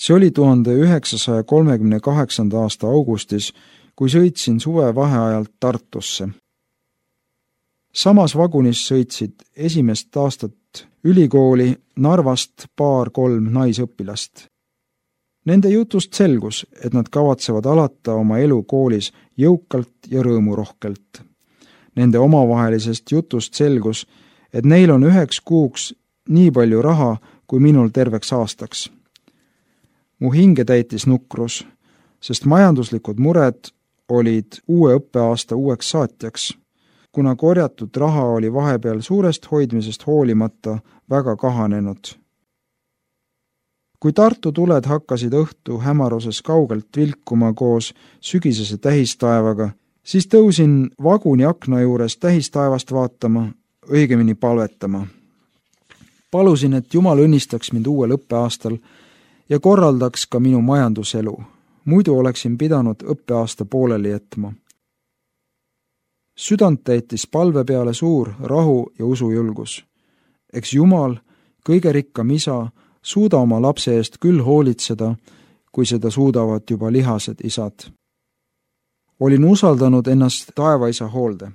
See oli 1938. aasta augustis, kui sõitsin suvevaheajalt Tartusse. Samas vagunis sõitsid esimest aastat ülikooli Narvast 2-3 naisõpilast. Nende jutust selgus, et nad kavatsevad alata oma elu koolis jõukalt ja rõõmurohkelt. Nende omavahelisest jutust selgus, et neil on 1 kuuks nii palju raha, kui minul terveks aastaks. Mu hinge täitis nukrus, sest majanduslikud mured olid uue õppeaasta uueks saatjaks, kuna korjatud raha oli vahepeal suurest hoidmisest hoolimata väga kahanenud. Kui Tartu tuled hakkasid õhtu hämaruses kaugelt vilkuma koos sügisese tähistaevaga, siis tõusin vaguni akna juures tähistaevast vaatama, õigemini palvetama. Palusin, et Jumal õnnistaks mind uuel õppeaastal ja korraldaks ka minu majanduselu. Muidu oleksin pidanud õppeaasta pooleli jätma. Südant täitis palve peale suur rahu ja usujulgus. Eks Jumal, kõige rikkam isa, suuda oma lapse eest küll hoolitseda, kui seda suudavad juba lihased isad. Olin usaldanud ennast taevaisa hoolde.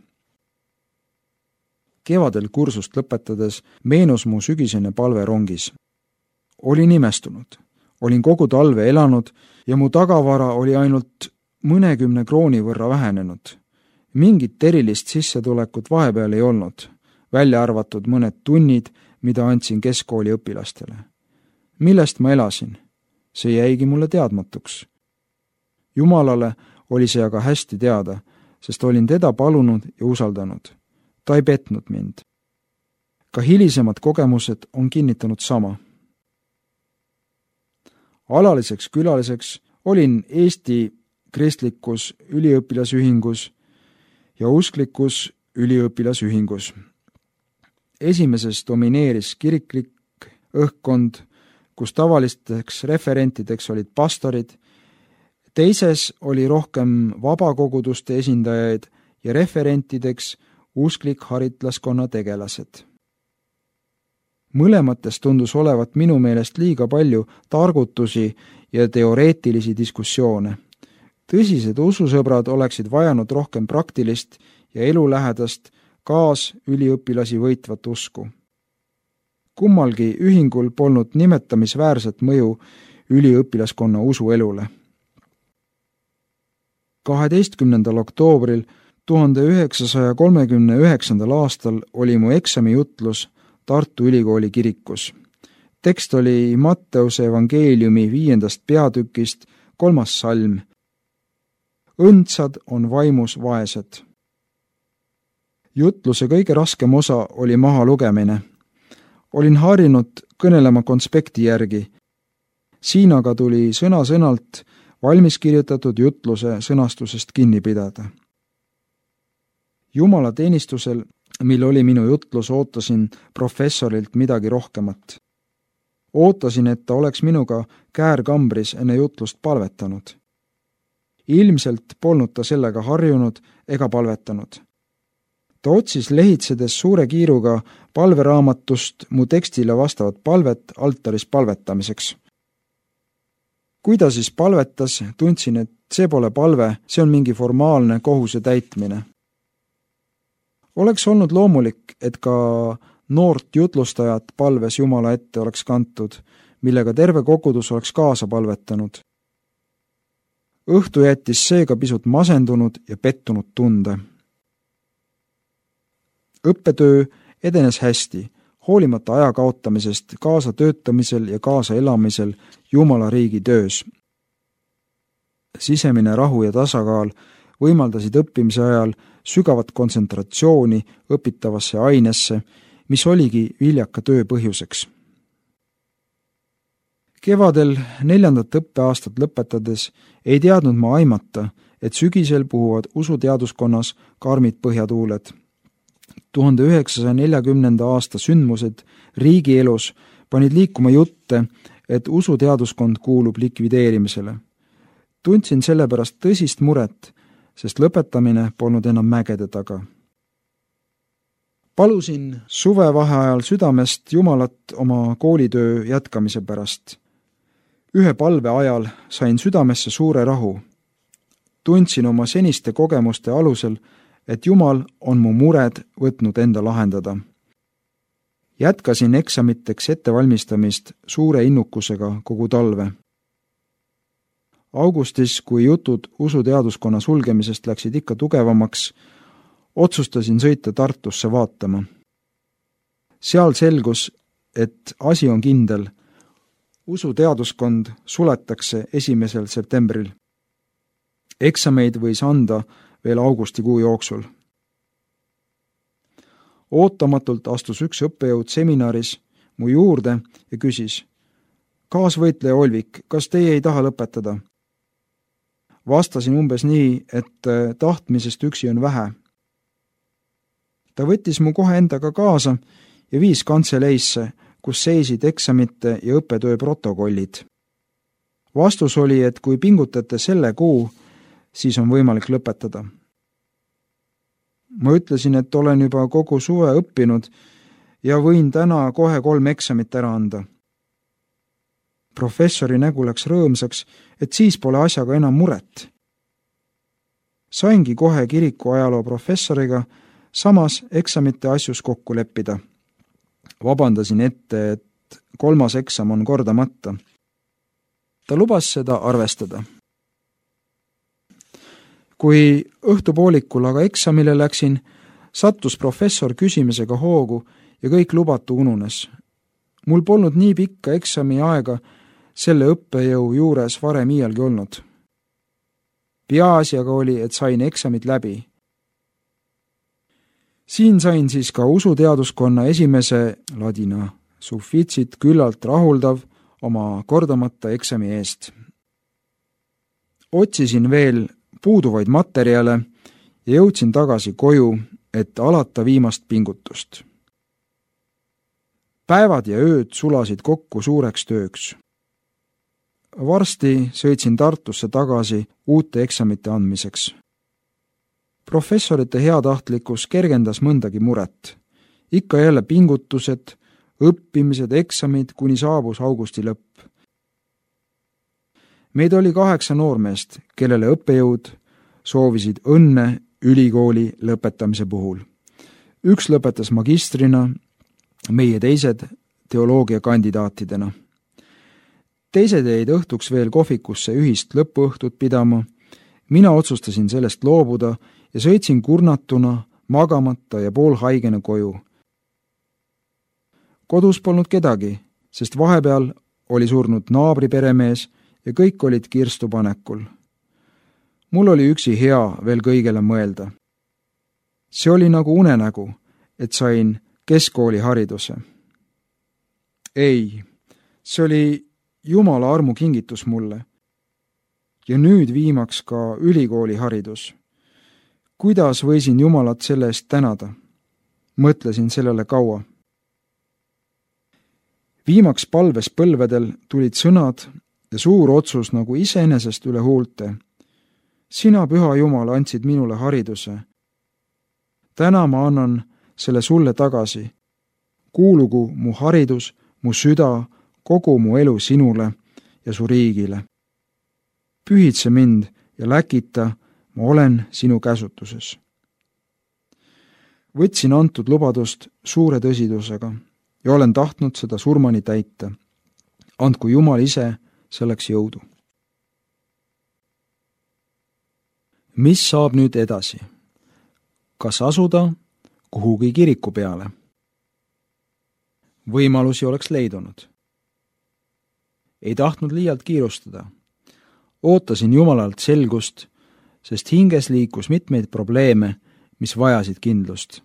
Kevadel kursust lõpetades meenus mu sügisene palve rongis. Olin imestunud. Olin kogu talve elanud ja mu tagavara oli ainult mõnekümne krooni võrra vähenenud. Mingit erilist sissetulekut vahepeal ei olnud, välja arvatud mõned tunnid, mida andsin keskkooli õpilastele. Millest ma elasin? See jäigi mulle teadmatuks. Jumalale oli see aga hästi teada, sest olin teda palunud ja usaldanud. Ta ei petnud mind. Ka hilisemad kogemused on kinnitanud sama. Alaliseks külaliseks olin Eesti kristlikus üliõpilasühingus ja usklikus üliõpilasühingus. Esimeses domineeris kiriklik õhkkond, kus tavalisteks referentideks olid pastorid, teises oli rohkem vabakoguduste esindajaid ja referentideks usklik haritlaskonna tegelased. Mõlemates tundus olevat minu meelest liiga palju targutusi ja teoreetilisi diskussioone. Tõsised ususõbrad oleksid vajanud rohkem praktilist ja elulähedast kaasüliõpilasi võitvat usku. Kummalgi ühingul polnud nimetamisväärset mõju üliõpilaskonna usuelule. 12. oktoobril 1939. aastal oli mu eksamijutlus Tartu Ülikooli kirikus. Tekst oli Matteuse evangeeliumi 5. peatükist 3. salm. Õndsad on vaimus vaesed. Jutluse kõige raskem osa oli maha lugemine. Olin harjunud kõnelema konspekti järgi. Siin aga tuli sõna-sõnalt valmis kirjutatud jutluse sõnastusest kinni pidada. Jumala teenistusel, mil oli minu jutlus, ootasin professorilt midagi rohkemat. Ootasin, et ta oleks minuga käärkambris enne jutlust palvetanud. Ilmselt polnud ta sellega harjunud ega palvetanud. Ta otsis lehitsedes suure kiiruga palveraamatust mu tekstile vastavat palvet altaris palvetamiseks. Kui ta siis palvetas, tundsin, et see pole palve, see on mingi formaalne kohuse täitmine. Oleks olnud loomulik, et ka noort jutlustajat palves Jumala ette oleks kantud, millega terve kogudus oleks kaasa palvetanud. Õhtu jättis seega pisut masendunud ja pettunud tunde. Õppetöö edenes hästi, hoolimata aja kaotamisest kaasa töötamisel ja kaasa elamisel Jumala riigi töös. Sisemine rahu ja tasakaal võimaldasid õppimise ajal sügavat kontsentratsiooni õpitavasse ainesse, mis oligi viljaka töö põhjuseks. Kevadel 4. õppeaastat lõpetades ei teadnud ma aimata, et sügisel puhuvad usuteaduskonnas karmid põhjatuuled. 1940. aasta sündmused riigielus panid liikuma jutte, et usuteaduskond kuulub likvideerimisele. Tundsin sellepärast tõsist muret, sest lõpetamine polnud enam mägede taga. Palusin suvevaheajal südamest Jumalat oma koolitöö jätkamise pärast. Ühe palve ajal sain südamesse suure rahu. Tundsin oma seniste kogemuste alusel, et Jumal on mu mured võtnud enda lahendada. Jätkasin eksamiteks ettevalmistamist suure innukusega kogu talve. Augustis, kui jutud usuteaduskonna sulgemisest läksid ikka tugevamaks, otsustasin sõita Tartusse vaatama. Seal selgus, et asi on kindel. Usuteaduskond suletakse 1. septembril. Eksameid võis anda veel augustikuu jooksul. Ootamatult astus üks õppejõud seminaris mu juurde ja küsis: kaasvõitleja Olvik, kas teie ei taha lõpetada? Vastasin umbes nii, et tahtmisest üksi on vähe. Ta võttis mu kohe endaga kaasa ja viis kantseleisse, kus seisid eksamite ja õppetöö protokollid. Vastus oli, et kui pingutate selle kuu, siis on võimalik lõpetada. Ma ütlesin, et olen juba kogu suve õppinud ja võin täna kohe 3 eksamit ära anda. Professori nägu läks rõõmsaks, et siis pole asjaga enam muret. Saingi kohe kiriku ajaloo professoriga samas eksamite asjus kokku leppida. Vabandasin ette, et 3. eksam on kordamata. Ta lubas seda arvestada. Kui õhtupoolikul aga eksamile läksin, sattus professor küsimisega hoogu ja kõik lubatu ununes. Mul polnud nii pikka eksami aega selle õppejõu juures varem iialgi olnud. Peaasi aga oli, et sain eksamid läbi. Siin sain siis ka usuteaduskonna esimese ladina suffiitsit küllalt rahuldav oma kordamata eksami eest. Otsisin veel puuduvaid materjale ja jõudsin tagasi koju, et alata viimast pingutust. Päevad ja ööd sulasid kokku suureks tööks. Varsti sõitsin Tartusse tagasi uute eksamite andmiseks. Professorite heatahtlikkus kergendas mõndagi muret. Ikka jälle pingutused, õppimised, eksamid, kuni saabus augusti lõpp. Meid oli 8 noormeest, kellele õppejõud soovisid õnne ülikooli lõpetamise puhul. Üks lõpetas magistrina, meie teised teoloogiakandidaatidena. Teised jäid õhtuks veel kohvikusse ühist lõpuõhtut pidama. Mina otsustasin sellest loobuda ja sõitsin kurnatuna, magamata ja poolhaigena koju. Kodus polnud kedagi, sest vahepeal oli surnud naabri peremees ja kõik olid kirstupanekul. Mul oli üksi hea veel kõigele mõelda. See oli nagu unenägu, et sain keskkooli hariduse. Ei, see oli Jumala armu kingitus mulle. Ja nüüd viimaks ka ülikooli haridus. Kuidas võisin Jumalat selle eest tänada? Mõtlesin sellele kaua. Viimaks palves põlvedel tulid sõnad ja suur otsus nagu iseenesest üle huulte. Sina, püha Jumal, andsid minule hariduse. Täna ma annan selle sulle tagasi. Kuulugu mu haridus, mu süda, kogu mu elu sinule ja su riigile. Pühitse mind ja läkita, ma olen sinu käsutuses. Võtsin antud lubadust suure tõsidusega ja olen tahtnud seda surmani täita. Andku Jumal ise selleks jõudu. Mis saab nüüd edasi? Kas asuda kuhugi kiriku peale? Võimalusi oleks leidunud. Ei tahtnud liialt kiirustada. Ootasin Jumalalt selgust, sest hinges liikus mitmeid probleeme, mis vajasid kindlust.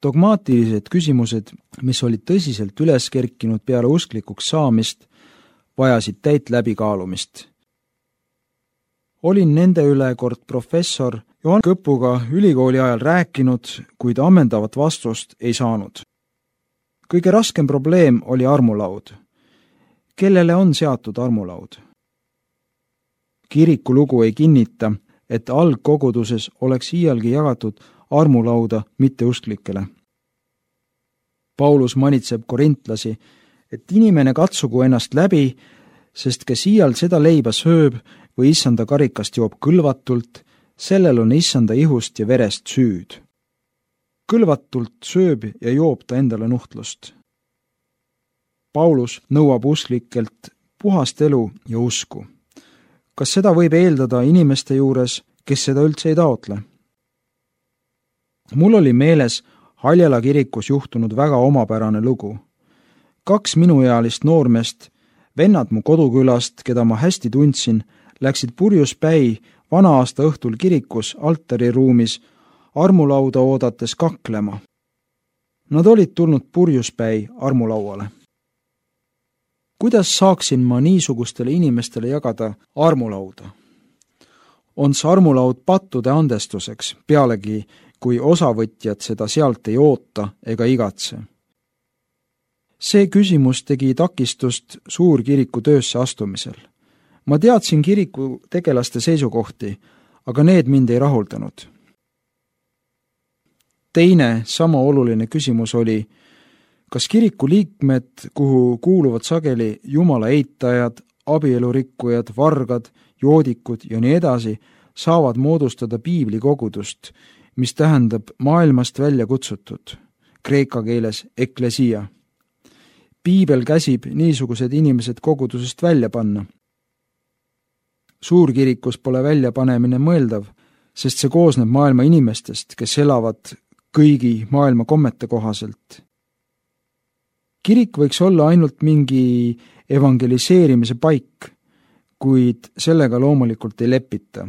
Dogmaatilised küsimused, mis olid tõsiselt üles kerkinud peale usklikuks saamist, vajasid täit läbikaalumist. Olin nende üle kord professor Johan Kõpuga ülikooli ajal rääkinud, kuid ammendavat vastust ei saanud. Kõige raskem probleem oli armulaud. Kellele on seatud armulaud? Kiriku lugu ei kinnita, et algkoguduses oleks iialgi jagatud armulauda mitteusklikele. Paulus manitseb korintlasi, et inimene katsugu ennast läbi, sest kes iial seda leiba sööb või issanda karikast joob kõlvatult, sellel on issanda ihust ja verest süüd. Kõlvatult sööb ja joob ta endale nuhtlust. Paulus nõuab usklikelt puhast elu ja usku. Kas seda võib eeldada inimeste juures, kes seda üldse ei taotle? Mul oli meeles Haljala kirikus juhtunud väga omapärane lugu. 2 minuealist noormeest, vennad mu kodukülast, keda ma hästi tundsin, läksid purjuspäi vana-aasta õhtul kirikus altariruumis armulauda oodates kaklema. Nad olid tulnud purjuspäi armulauale. Kuidas saaksin ma niisugustele inimestele jagada armulauda? On see armulaud pattude andestuseks, pealegi kui osavõtjad seda sealt ei oota ega igatse. See küsimus tegi takistust suurkiriku töösse astumisel. Ma teadsin kiriku tegelaste seisukohti, aga need mind ei rahuldanud. Teine sama oluline küsimus oli, kas kiriku liikmed, kuhu kuuluvad sageli jumala eitajad, abielurikkujad, vargad, joodikud ja nii edasi, saavad moodustada piiblikogudust, mis tähendab maailmast välja kutsutud, kreeka keeles eklesia. Piibel käsib niisugused inimesed kogudusest välja panna. Suurkirikus pole väljapanemine mõeldav, sest see koosneb maailma inimestest, kes elavad kõigi maailma kommete kohaselt. Kirik võiks olla ainult mingi evangeliseerimise paik, kuid sellega loomulikult ei lepita.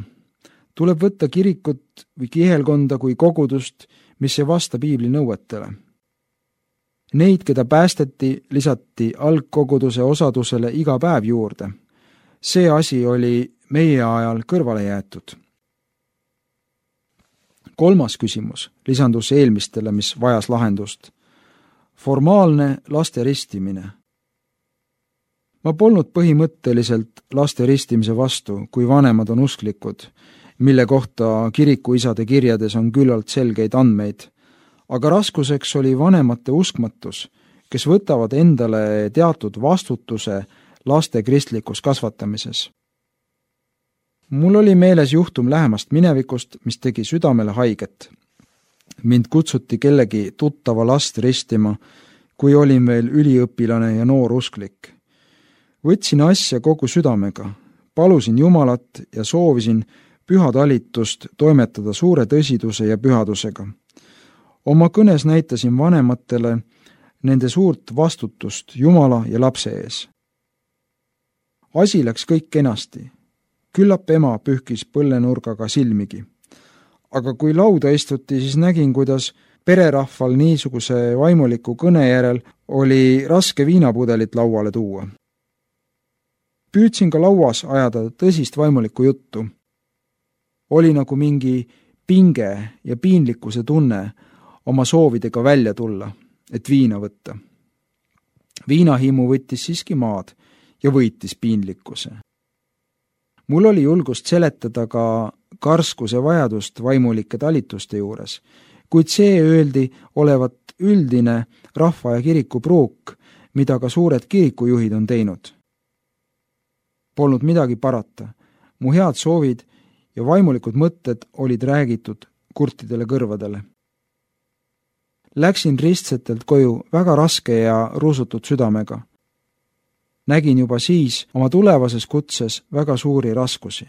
Tuleb võtta kirikut või kihelkonda kui kogudust, mis ei vasta piibli nõuetele. Neid, keda päästeti, lisati algkoguduse osadusele iga päev juurde. See asi oli meie ajal kõrvale jäetud. 3. küsimus lisandus eelmistele, mis vajas lahendust. Formaalne laste ristimine. Ma polnud põhimõtteliselt laste ristimise vastu, kui vanemad on usklikud, mille kohta kirikuisade kirjades on küllalt selgeid andmeid, aga raskuseks oli vanemate uskmatus, kes võtavad endale teatud vastutuse laste kristlikus kasvatamises. Mul oli meeles juhtum lähemast minevikust, mis tegi südamele haiget. Mind kutsuti kellegi tuttava last ristima, kui olin veel üliõpilane ja noor usklik. Võtsin asja kogu südamega, palusin Jumalat ja soovisin pühatalitust toimetada suure tõsiduse ja pühadusega. Oma kõnes näitasin vanematele nende suurt vastutust Jumala ja lapse ees. Asi läks kõik kenasti. Küllap ema pühkis põllenurgaga silmigi. Aga kui lauda istuti, siis nägin, kuidas pererahval niisuguse vaimuliku kõne järel oli raske viinapudelit lauale tuua. Püüdsin ka lauas ajada tõsist vaimulikku juttu. Oli nagu mingi pinge ja piinlikkuse tunne oma soovidega välja tulla, et viina võtta. Viinahimu võttis siiski maad ja võitis piinlikkuse. Mul oli julgust seletada ka karskuse vajadust vaimulike talituste juures, kuid see öeldi olevat üldine rahva ja kiriku pruuk, mida ka suured kirikujuhid on teinud. Polnud midagi parata. Mu head soovid ja vaimulikud mõtted olid räägitud kurtidele kõrvadele. Läksin ristsetelt koju väga raske ja ruusutud südamega. Nägin juba siis oma tulevases kutses väga suuri raskusi.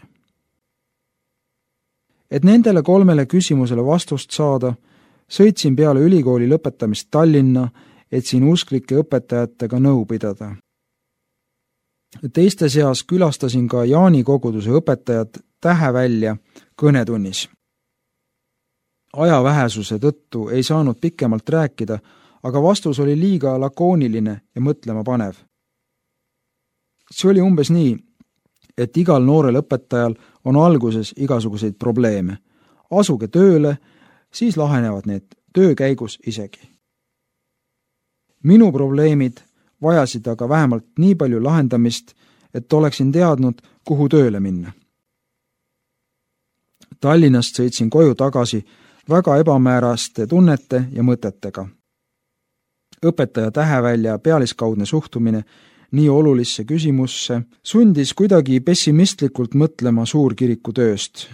Et nendele 3 küsimusele vastust saada, sõitsin peale ülikooli lõpetamist Tallinna, et siin usklike õpetajatega nõu pidada. Teiste seas külastasin ka Jaani koguduse õpetajat Tähevälja kõnetunnis. Aja vähesuse tõttu ei saanud pikemalt rääkida, aga vastus oli liiga lakooniline ja mõtlema panev. See oli umbes nii, et igal noorel õpetajal on alguses igasuguseid probleeme. Asuge tööle, siis lahenevad need töö käigus isegi. Minu probleemid vajasid aga vähemalt nii palju lahendamist, et oleksin teadnud, kuhu tööle minna. Tallinnast sõitsin koju tagasi väga ebamääraste tunnete ja mõtetega. õpetaja tähevälja pealiskaudne suhtumine nii olulisse küsimusse sundis kuidagi pessimistlikult mõtlema suurkiriku tööst.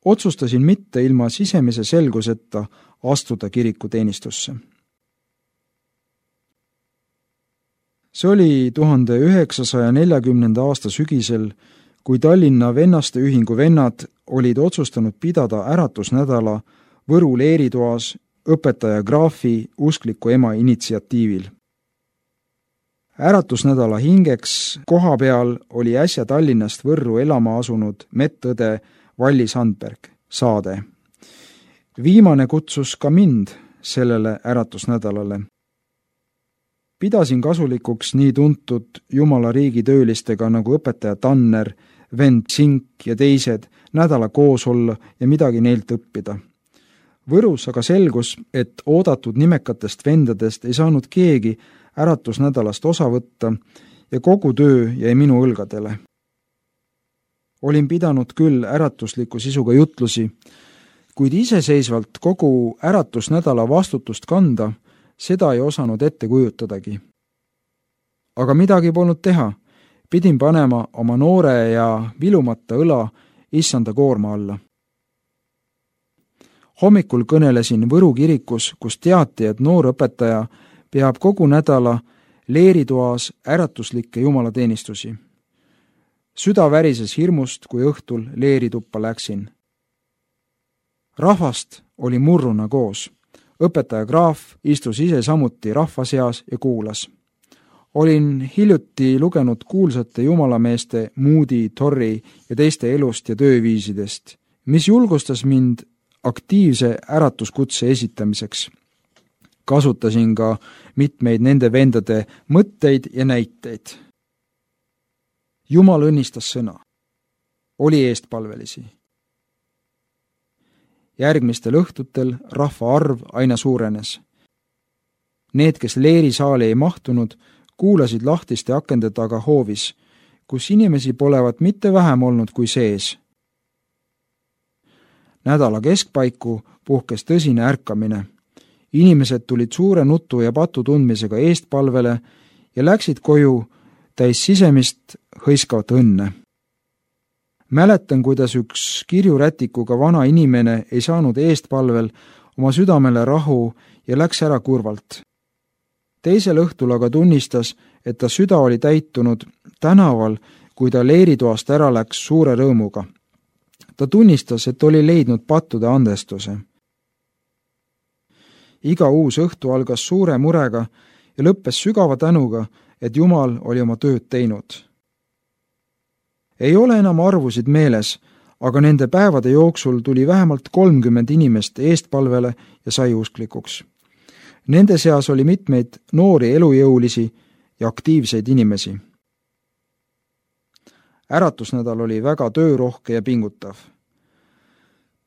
Otsustasin mitte ilma sisemise selguseta astuda kirikuteenistusse. See oli 1940. aasta sügisel, kui Tallinna Vennaste Ühingu vennad olid otsustanud pidada äratusnädala Võru leeritoas õpetaja Graafi uskliku ema initsiatiivil. Äratusnädala hingeks koha peal oli äsja Tallinnast Võrru elama asunud medõde Valli Sandberg, Saade. Viimane kutsus ka mind sellele äratusnädalale. Pidasin kasulikuks nii tuntud Jumala riigi töölistega nagu õpetaja Tanner, vend Sink ja teised nädala koos olla ja midagi neilt õppida. Võrus aga selgus, et oodatud nimekatest vendadest ei saanud keegi äratusnädalast osa võtta ja kogu töö jäi minu õlgadele. Olin pidanud küll äratusliku sisuga jutlusi, kuid iseseisvalt kogu äratusnädala vastutust kanda, seda ei osanud ette kujutadagi. Aga midagi polnud teha, pidin panema oma noore ja vilumata õla issanda koorma alla. Hommikul kõnelesin Võru kirikus, kus teati, et noor õpetaja peab kogu nädala leeritoas äratuslikke jumalateenistusi. Süda värises hirmust, kui õhtul leerituppa läksin. Rahvast oli murruna koos. Õpetaja Graaf istus ise samuti rahva seas ja kuulas. Olin hiljuti lugenud kuulsate jumalameeste Moody, Torrey ja teiste elust ja tööviisidest, mis julgustas mind aktiivse äratuskutse esitamiseks. Kasutasin ka mitmeid nende vendade mõtteid ja näiteid. Jumal õnnistas sõna. Oli eestpalvelisi. Järgmistel õhtutel rahva arv aina suurenes. Need, kes leerisaali ei mahtunud, kuulasid lahtiste akende taga hoovis, kus inimesi polevat mitte vähem olnud kui sees. Nädala keskpaiku puhkes tõsine ärkamine. Inimesed tulid suure nutu ja patu tundmisega eestpalvele ja läksid koju täis sisemist hõiskavat õnne. Mäletan, kuidas üks kirjurätikuga vana inimene ei saanud eestpalvel oma südamele rahu ja läks ära kurvalt. Teisel õhtul aga tunnistas, et ta süda oli täitunud tänaval, kui ta leeritoast ära läks suure rõõmuga. Ta tunnistas, et oli leidnud pattude andestuse. Iga uus õhtu algas suure murega ja lõppes sügava tänuga, et Jumal oli oma tööd teinud. Ei ole enam arvusid meeles, aga nende päevade jooksul tuli vähemalt 30 inimest eestpalvele ja sai usklikuks. Nende seas oli mitmeid noori elujõulisi ja aktiivseid inimesi. Äratusnädal oli väga töörohke ja pingutav.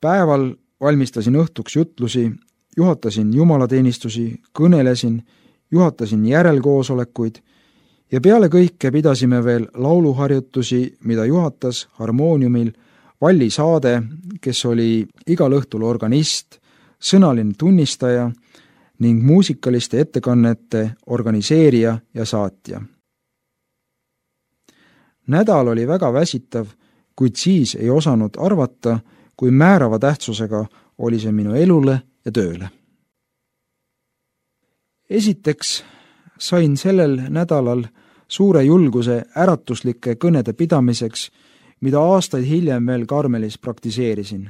Päeval valmistasin õhtuks jutlusi, juhatasin jumalateenistusi, kõnelesin, juhatasin järelkoosolekuid ja peale kõike pidasime veel lauluharjutusi, mida juhatas harmooniumil Valli Saade, kes oli igal õhtul organist, sõnaline tunnistaja ning muusikaliste ettekannete organiseerija ja saatja. Nädal oli väga väsitav, kuid siis ei osanud arvata, kui määrava tähtsusega oli see minu elule ja tööle. Esiteks sain sellel nädalal suure julguse äratuslike kõnede pidamiseks, mida aastaid hiljem veel Karmelis praktiseerisin.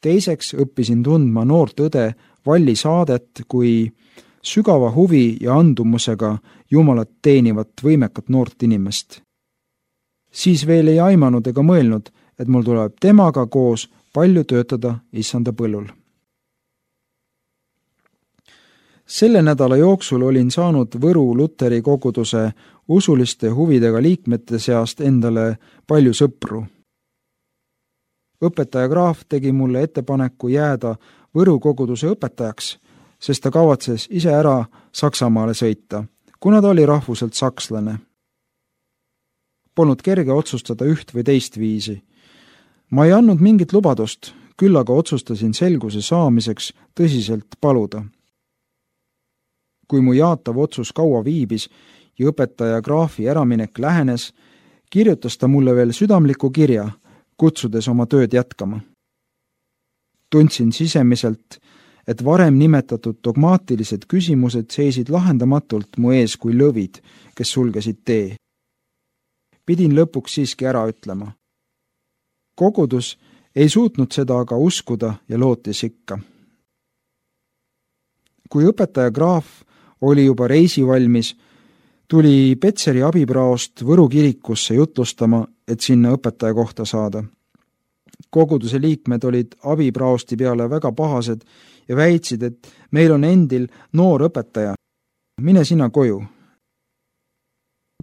Teiseks õppisin tundma noort õde Valli Saadet kui sügava huvi ja andumusega Jumalat teenivat võimekat noort inimest. Siis veel ei aimanud ega mõelnud, et mul tuleb temaga koos palju töötada issanda põllul. Selle nädala jooksul olin saanud Võru Luteri koguduse usuliste huvidega liikmete seast endale palju sõpru. Õpetaja Graaf tegi mulle ettepaneku jääda Võru koguduse õpetajaks, sest ta kavatses ise ära Saksamaale sõita, kuna ta oli rahvuselt sakslane. Polnud kerge otsustada üht või teist viisi. Ma ei andnud mingit lubadust, küll aga otsustasin selguse saamiseks tõsiselt paluda. kui mu jaatav otsus kaua viibis ja õpetaja Graafi äraminek lähenes, kirjutas ta mulle veel südamliku kirja, kutsudes oma tööd jätkama. Tundsin sisemiselt, et varem nimetatud dogmaatilised küsimused seisid lahendamatult mu ees kui lõvid, kes sulgesid tee. Pidin lõpuks siiski ära ütlema. Kogudus ei suutnud seda aga uskuda ja lootis ikka. Kui õpetaja Graaf oli juba reisivalmis, tuli Petseri abipraost Võru kirikusse jutlustama, et sinna õpetaja kohta saada. Koguduse liikmed olid abipraosti peale väga pahased ja väitsid, et meil on endil noor õpetaja. Mine sina koju.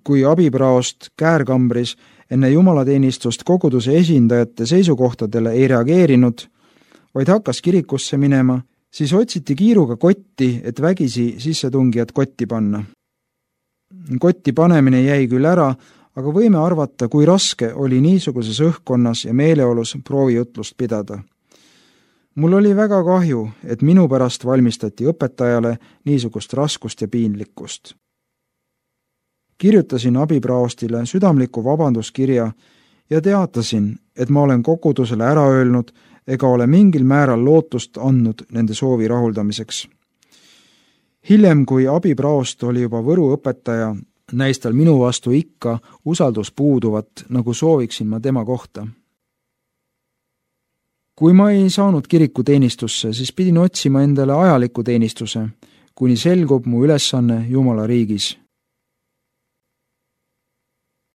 Kui abipraost käärkambris enne jumalateenistust koguduse esindajate seisukohtadele ei reageerinud, vaid hakkas kirikusse minema, siis otsiti kiiruga kotti, et vägisi sissetungijad kotti panna. Kotti panemine jäi küll ära, aga võime arvata, kui raske oli niisuguses õhkkonnas ja meeleolus proovijutlust pidada. Mul oli väga kahju, et minu pärast valmistati õpetajale niisugust raskust ja piinlikkust. Kirjutasin abipraostile südamliku vabanduskirja ja teatasin, et ma olen kogudusele ära öelnud ega ole mingil määral lootust andnud nende soovi rahuldamiseks. Hiljem, kui abipraost oli juba Võru õpetaja, näis tal minu vastu ikka usaldus puuduvat, nagu sooviksin ma tema kohta. Kui ma ei saanud kirikuteenistusse, siis pidin otsima endale ajaliku teenistuse, kuni selgub mu ülesanne Jumala riigis.